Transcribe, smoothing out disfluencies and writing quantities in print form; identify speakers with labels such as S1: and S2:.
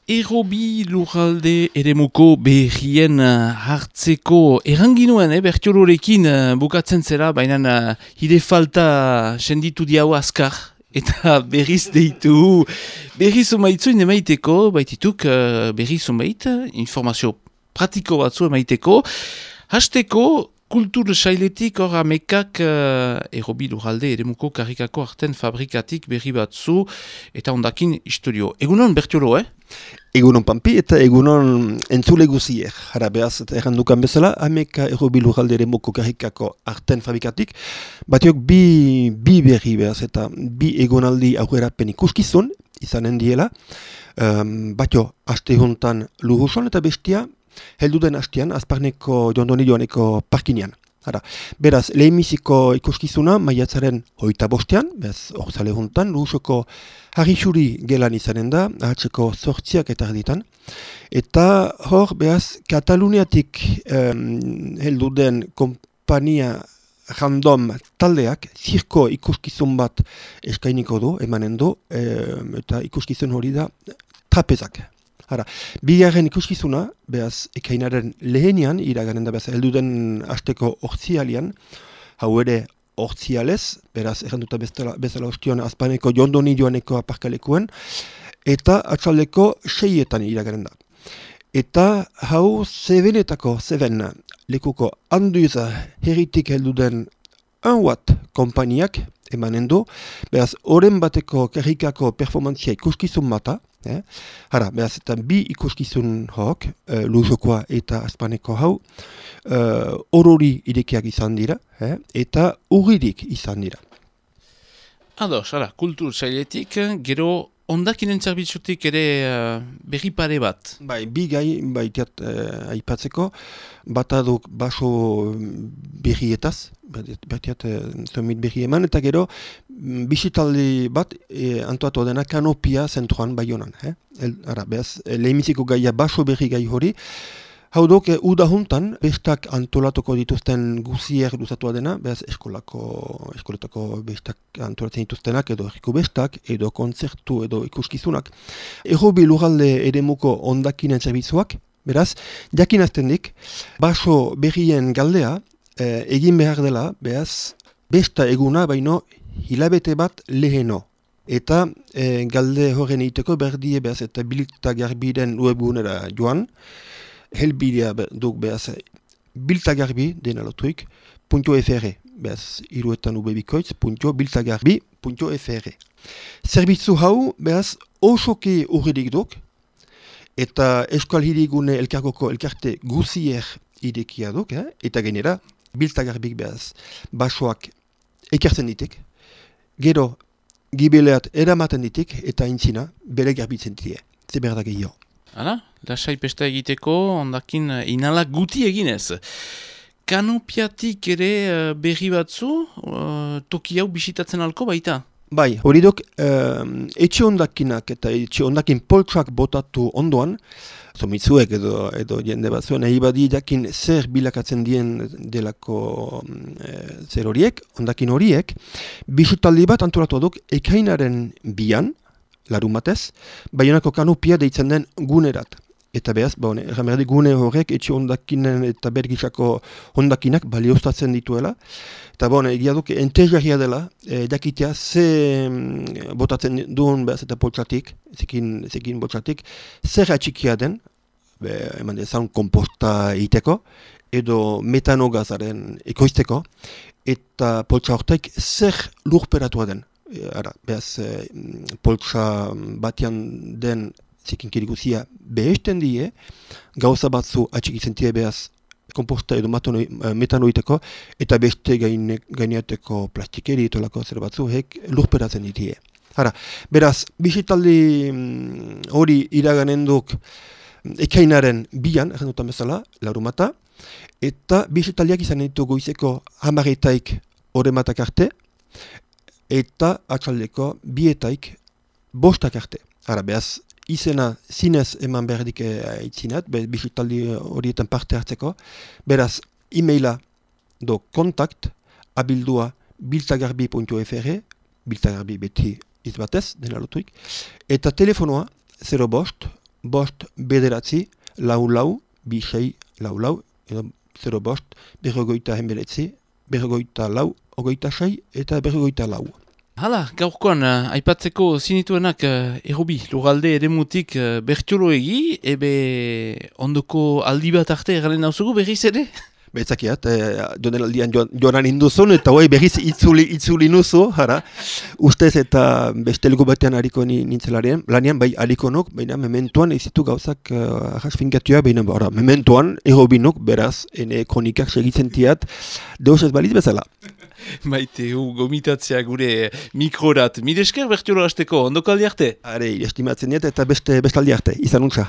S1: Errobi lurralde eremuko berrien hartzeko erranginuen, bertiolorekin bukatzen zera, baina hide falta senditu diau azkar, eta berriz deitu, berriz umaitzu emaiteko, baitituk berriz umait, informazio pratiko batzu emaiteko, hasteko kultur sailetik hor amekak errobi lurralde eremuko karrikako arten fabrikatik berri batzu, eta ondakin historio. Egunon bertiolo,
S2: Egunon Pampi eta egunon entzule guziek. Hara behaz eta errandukan bezala, ameka errobi lurralde eremuko karrikako arten fabrikatik, batiok bi berri behaz eta bi egonaldi aurrerapen ikuskizun, izanen diela, batio aste hontan Luruson eta bestia, helduden hastean, azparneko jondoni joaneko parkinean. Beraz, lehenbiziko ikuskizuna maiatzaren 25, beraz, orzale hontan, Lurusoko harri-xuri gelan izanen da, ahatzeko 8 eta erditan. Eta hor, beraz, Kataluniatik helduden kompania random taldeak, zirko ikuskizun bat eskainiko du, emanen du, eta ikuskizun hori da trapezak. Bigarren ikuskizuna, behaz, ekainaren lehenian, iraganen da behaz, helduden hasteko ortzialian, hau ere ortzialez, beraz, erranduta bezala ostion azpaneko jondoni joaneko aparkalekuen, eta atzaldeko 6etan iraganen da. Eta hau zeben lekuko handuiza herritik helduden 1 watt kompaniak emanen du, behaz, oren bateko karrikako performantzia ikuskizun bata, behaz, eta bi ikuskizun hok, Lurusokoa eta azpaneko hau, orori irekiak izan dira, eta urririk izan dira.
S1: Ados, kultur sailetik, gero ondakinen zerbitzutik ere berri pare bat.
S2: Bai, bi gai baitiat aipatzeko, bataduk baso berrietaz, baitiat zomit berri eman, eta gero bisitaldi bat antoatu dena kanopia zentroan Baionan. Behaz, lehenbiziko gaia baso berri gai hori, hau duk, uda juntan, bestak antolatuko dituzten guzier duzatua dena, behaz, eskoletako bestak antolatzen dituztenak, edo erriko bestak, edo kontzertu, edo ikuskizunak. Errobi lurralde eremuko ondakinen zerbitzuak, beraz, jakinazten dik, baso berrien galdea, egin behar dela, behaz, besta eguna, baino, hilabete bat leheno. Eta galde horren egiteko berdie, behaz, eta biltagarbiren webgunera joan, helbidea duk behaz biltagarbi dena lotuik .fr, behaz iruetan ubebikoitz .biltagarbi.fr. Zerbitzu hau behaz osoki urridik duk eta Euskal Hirigune elkargoko elkarte guzier idekia duk, eta genera biltagarbik behaz basoak ekartzen ditik, gero gibeleat eramaten ditik eta intzina bere garbitzen ditie, zeberda gehiago.
S1: Hala, lasai pesta egiteko, ondakin inalak guti eginez. Kanopiatik ere berri batzu, toki hau bisitatzen alko baita?
S2: Bai, hori duk, etxe ondakinak eta etxe ondakin poltsak botatu ondoan, zomitzuek edo jende batzuen, nahi badi jakin zer bilakatzen dien delako zer horiek, ondakin horiek, bisutaldi bat antolatu duk ekainaren 2, larumatez, Baionako kanopia deitzen den gunerat. Eta behaz, erramerdi gune horrek etxe ondakinen eta bergisako ondakinak balioztatzen dituela. Eta egia duk, entejarria dela, jakitea ze botatzen duen behaz eta poltsatik, zekin boltsatik, zer atxikia den, eman dezan komposta egiteko, edo metanogazaren ekoizteko, eta poltsa horrek zer lurperatua den. Behaz, poltsa batian den zekinkiri guzia behesten die, gauza batzu atxikitzen die behaz komposta edo metanoiteko, eta beste gaineateko plastikeri etolako zer batzu hek lurperatzen ditie. Beraz, bisitaldi hori iraganen duk ekainaren 2, errandutan bezala, larumata, eta bisitaldiak izan ditu goizeko 10 orematak arte, eta atzaldeko 2 5 arte. Behaz, izena zinez eman berdik aitzinat, bisitaldi horietan parte hartzeko. Beraz, e-maila do kontakt abildua biltagarbi.fr, biltagarbi beti izbatez, dena lotuik, eta telefonoa 0 bost, bost bederatzi, lau, bi sei, lau, edo 0 bost, berrogoita hemeretzi, berrogoita lau, ogoita sei, eta berrogoita lau.
S1: Hala, gaurkoan, aipatzeko zinituenak errobi, lugalde eremutik bertioloegi, ebe ondoko aldi bat arte egaren nauzugu berriz ere?
S2: Betzakiat, joan aldian joan induzun, eta hoi berriz itzuli nuzu, jara. Ustez eta bestelgo batean hariko nintzelaren, lanian bai hariko nok, baina mementuan ezitu gauzak ahas finkatuak, baina mementuan errobinok, beraz, ene kronikak segitzen tiat, deus ez baliz bezala.
S1: Maite, gomitatzea gure mikrorat. Mire esker bertiolo hasteko, ondoko aldi arte?
S2: Are, estimatzen diet eta bestaldi arte, izan untza.